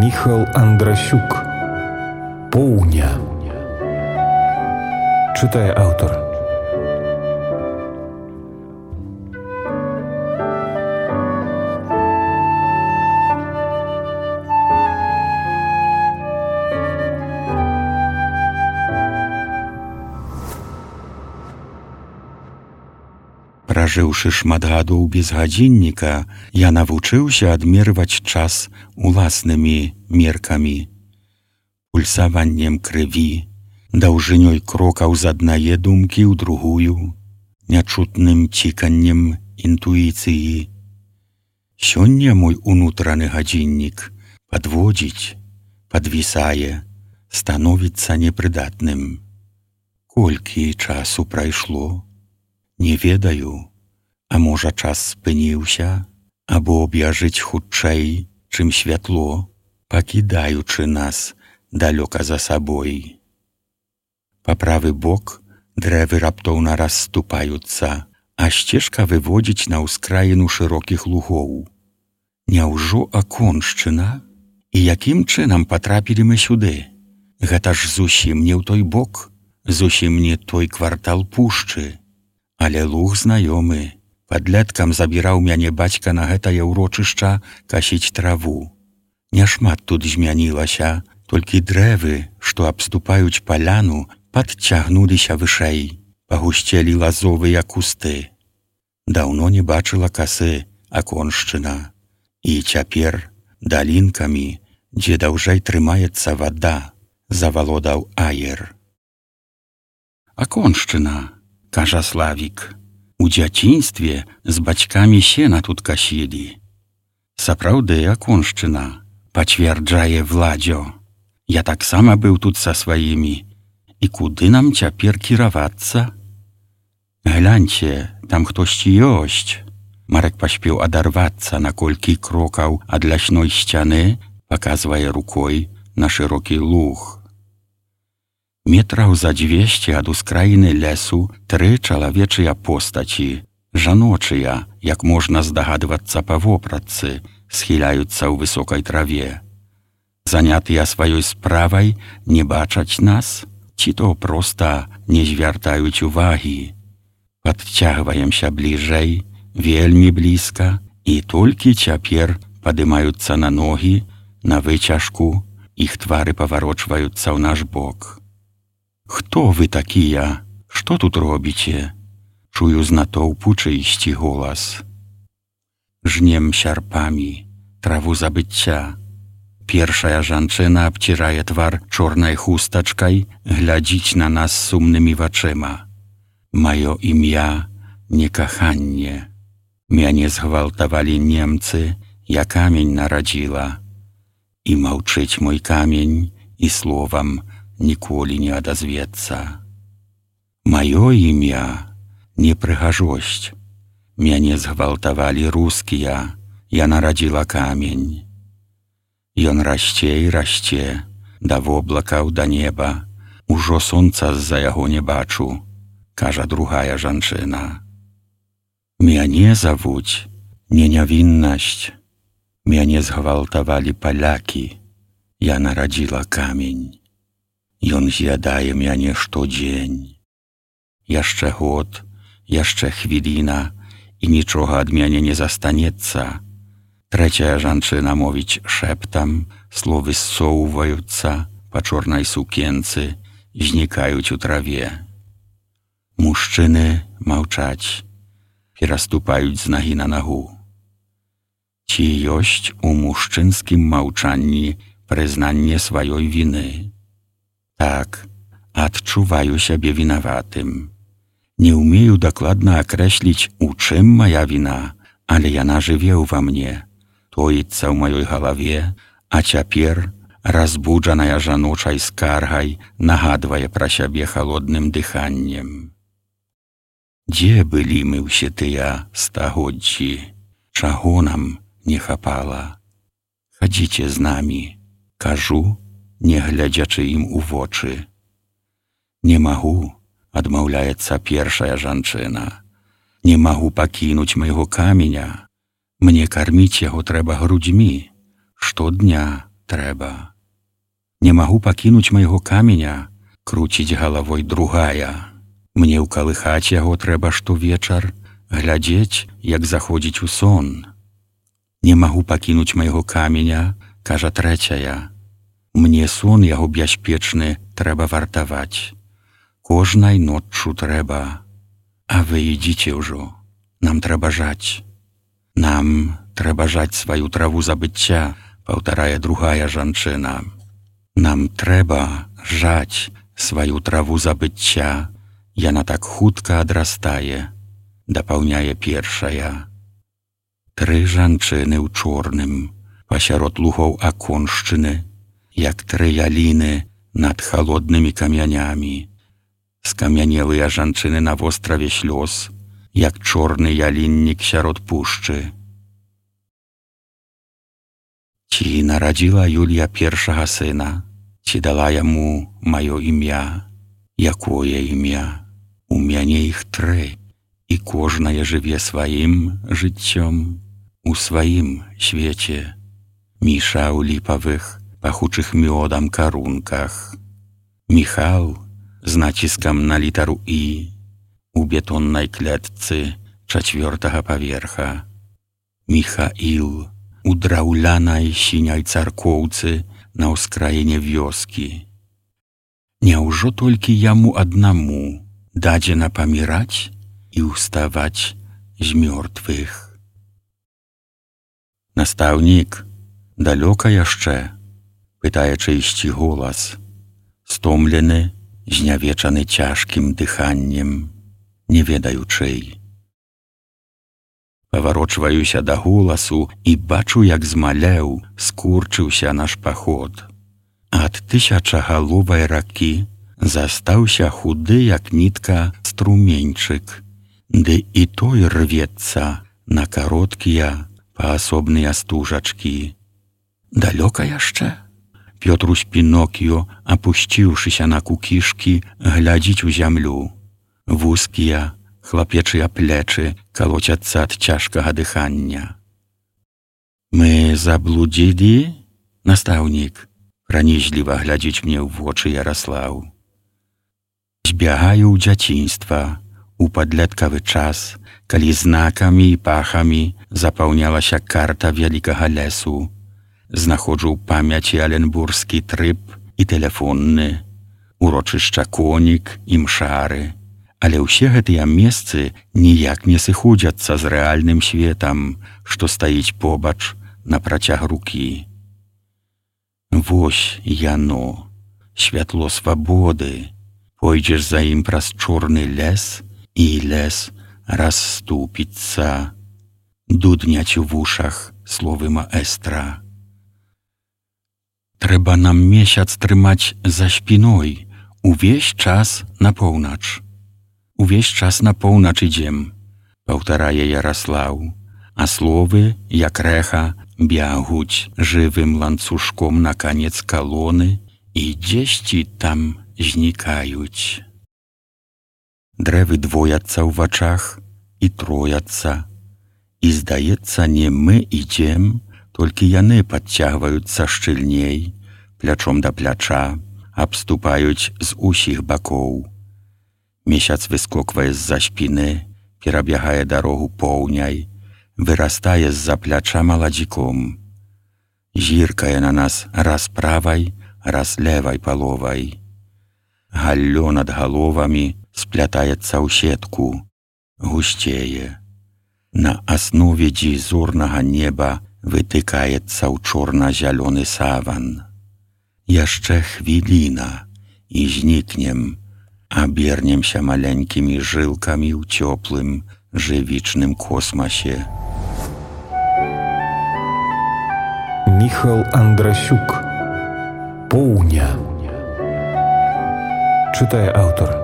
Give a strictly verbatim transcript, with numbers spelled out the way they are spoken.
Міхал Андрасюк. Поўня. Чытае аўтар. Пражыўшы шмат гадоў без гадзінніка, я навучыўся адмерваць час уласнымі меркамі, пульсаваннем крыві, даўжынёй крокаў з аднае думкі ў другую, нячутным ціканнем інтуіцыі. Сёння мой унутраны гадзіннік падводзіць, падвісае, становіцца непрыдатным. Колькі часу прайшло? Не ведаю, а можа час спыніўся, або бяжыць хутчэй, чым святло, пакідаючы нас далёка за сабой. Па правы бок дрэвы раптоўна расступаюцца, а сцежка выводзіць на ўскраіну шырокіх лугоў. Няўжо аконшчына? І якім чынам патрапілі мы сюды? Гэта ж зусім не ў той бок, зусім не той квартал пушчы. Але луг знаёмы. Падлеткам забіраў мяне бацька на гэтае ўрочышча касіць траву. Няшмат тут змянілася, толькі дрэвы, што абступаюць паляну, падцягнуліся вышэй, пагусцелі лазовыя кусты. Даўно не бачыла касы аконшчына. І цяпер далінкамі, дзе даўжэй трымаецца вада, завалодаў аер. Аконшчына, кажа Славік. У дзяцінстве з бацькамі сена тут касілі. Сапраўды аконшчына, пацвярджае Владзё. Я таксама быў тут са сваімі. І куды нам цяпер кіравацца? Гляньце, там хтосьці ёсць. Марек паспеў адарвацца на колькі крокаў ад лясной сцяны, паказвае рукой на шырокі луг. Метраў за дзвесце ад ускраіны лесу тры чалавечыя постаці, жаночыя, як можна здагадвацца па вопратцы, схіляюцца ў высокай траве. Занятыя сваёй справай не бачаць нас, ці то проста не звяртаюць увагі. Падцягваемся бліжэй, вельмі блізка, і толькі цяпер падымаюцца на ногі, на выцяжку, іх твары паварочваюцца ў наш бок. «Хто вы такія? Што тут робіце?» Чую з натоўпу чыйсьці голас. Жнем сярпамі, траву забыцця. Першая жанчына абцірае твар чорнай хустачкай, глядзіць на нас сумнымі вачыма. Маё імя не каханне. Мяне згвалтавалі немцы, я камень нарадзіла. І маўчыць мой камень, і словам ніколі не адазвецца. Маё імя не прыгажосць. Мяне згвалтавалі рускія, я нарадзіла камень. Ён расце і расце, да воблакаў, да неба. Ужо сонца з-за яго не бачу, кажа другая жанчына. Мяне завуць не нявіннасць. Мяне згвалтавалі палякі, я нарадзіла камень. Ён з'ядае мяне штодзень. Яшчэ год, яшчэ хвіліна, і нічога ад мяне не застанецца. Трэцяя жанчына мовіць шэптам, словы ссоўваюцца па чорнай сукенцы, знікаюць у траве. Мужчыны маўчаць, пераступаюць з нагі на нагу. Ці ёсць у мужчынскім маўчанні прызнанне сваёй віны? Так, адчуваю сябе вінаватым. Не ўмею дакладна акрэсліць, у чым мая віна, але яна жыве ўва мне, тоіцца ў маёй галаве, а цяпер, разбуджаная жаночай скаргай, нагадвае пра сябе халодным дыханнем. Дзе былі мы ўсе тыя стагоддзі? Чаго нам не хапала? Хадзіце з намі, кажу, не глядзячы ім у вочы. Не магу, адмаўляецца першая жанчына. Не магу пакінуць майго каменя. Мне карміць яго трэба грудзьмі. Штодня, трэба. Не магу пакінуць майго каменя, круціць галавой другая. Мне ўкалыхаць яго трэба штовечар, глядзець, як заходзіць у сон. Не магу пакінуць майго каменя, кажа трэцяя. Мне сон яго бяспечны трэба вартаваць. Кожнай ноччу трэба. А вы ідзіце ўжо. Нам трэба жаць. Нам трэба жаць сваю траву забыцця, паўтарае другая жанчына. Нам трэба жаць сваю траву забыцця. Яна так хутка адрастае, дапаўняе першая. Тры жанчыны ў чорным, пасярод лугоў аконшчыны, як тры яліны над халоднымі камянямі. Скамянелыя жанчыны на востраве слёз, як чорны яліннік сярод пушчы. Ці нарадзіла Юлія першага сына, ці дала яму маё імя? Якое імя? У мяне іх тры, і кожнае жыве сваім жыццём у сваім свеце. Міша ў ліпавых, пахучых мёдам карунках. Міхал з націскам на літару «І» у бетоннай клетцы чацвёртага паверха. Міхаіл у драўлянай сіняй царкоўцы на ўскраіне вёскі. Няўжо толькі яму аднаму дадзена паміраць і ўставаць з мёртвых? Настаўнік, далёка яшчэ? Пытае чыйсьці голас, стомлены, знявечаны цяжкім дыханнем, не ведаю чый. Паварочваюся да голасу і бачу, як змалеў, скурчыўся наш паход. Ад тысячагаловай ракі застаўся худы, як нітка, струменьчык, ды і той рвецца на кароткія паасобныя стужачкі. Далёка яшчэ? Пётрусь Пінокіё, апусціўшыся на кукішкі, глядзіць у зямлю. Вузкія, хлапечыя плечы калоцяцца ад цяжкага дыхання. Мы заблудзілі, настаўнік? Пранізліва глядзіць мне ў вочы Яраслаў. Збягаю ў дзяцінства, у падлеткавы час, калі знакамі і пахамі запаўнялася карта вялікага лесу. Знаходжу ў памяці аленбурскі трып і тэлефонны, урочышча Конік і Мшары. Але ўсе гэтыя месцы ніяк не сыходзяцца з рэальным светам, што стаіць побач на працяг рукі. Вось яно, святло свабоды. Пойдзеш за ім праз чорны лес, і лес расступіцца. Дудняць у вушах словы маэстра. Трэба нам месяц трымаць за спіной, увесь час на поўнач. Увесь час на поўнач ідзем, паўтарае Яраслаў, а словы, як рэха, бягуць жывым ланцужком на канец калоны і дзесьці там знікаюць. Дрэвы двояцца ў вачах і трояцца, і, здаецца, не мы ідзем, толькі яны падцягваюцца шчыльней, плячом да пляча, абступаюць з усіх бакоў. Месяц выскоквае з-за спіны, перабягае дарогу поўняй, вырастае з-за пляча маладзіком. Зіркае на нас раз правай, раз левай паловай. Галлё над галовамі сплятаецца ў сетку, гусцее. На аснове дзізорнага неба вытыкаецца ў чорна-зялёны саван. Яшчэ хвіліна, і знікнем, абернемся маленькімі жылкамі ў цёплым, жывічным космасе. Міхал Андрасюк. Поўня. Чытае аўтар.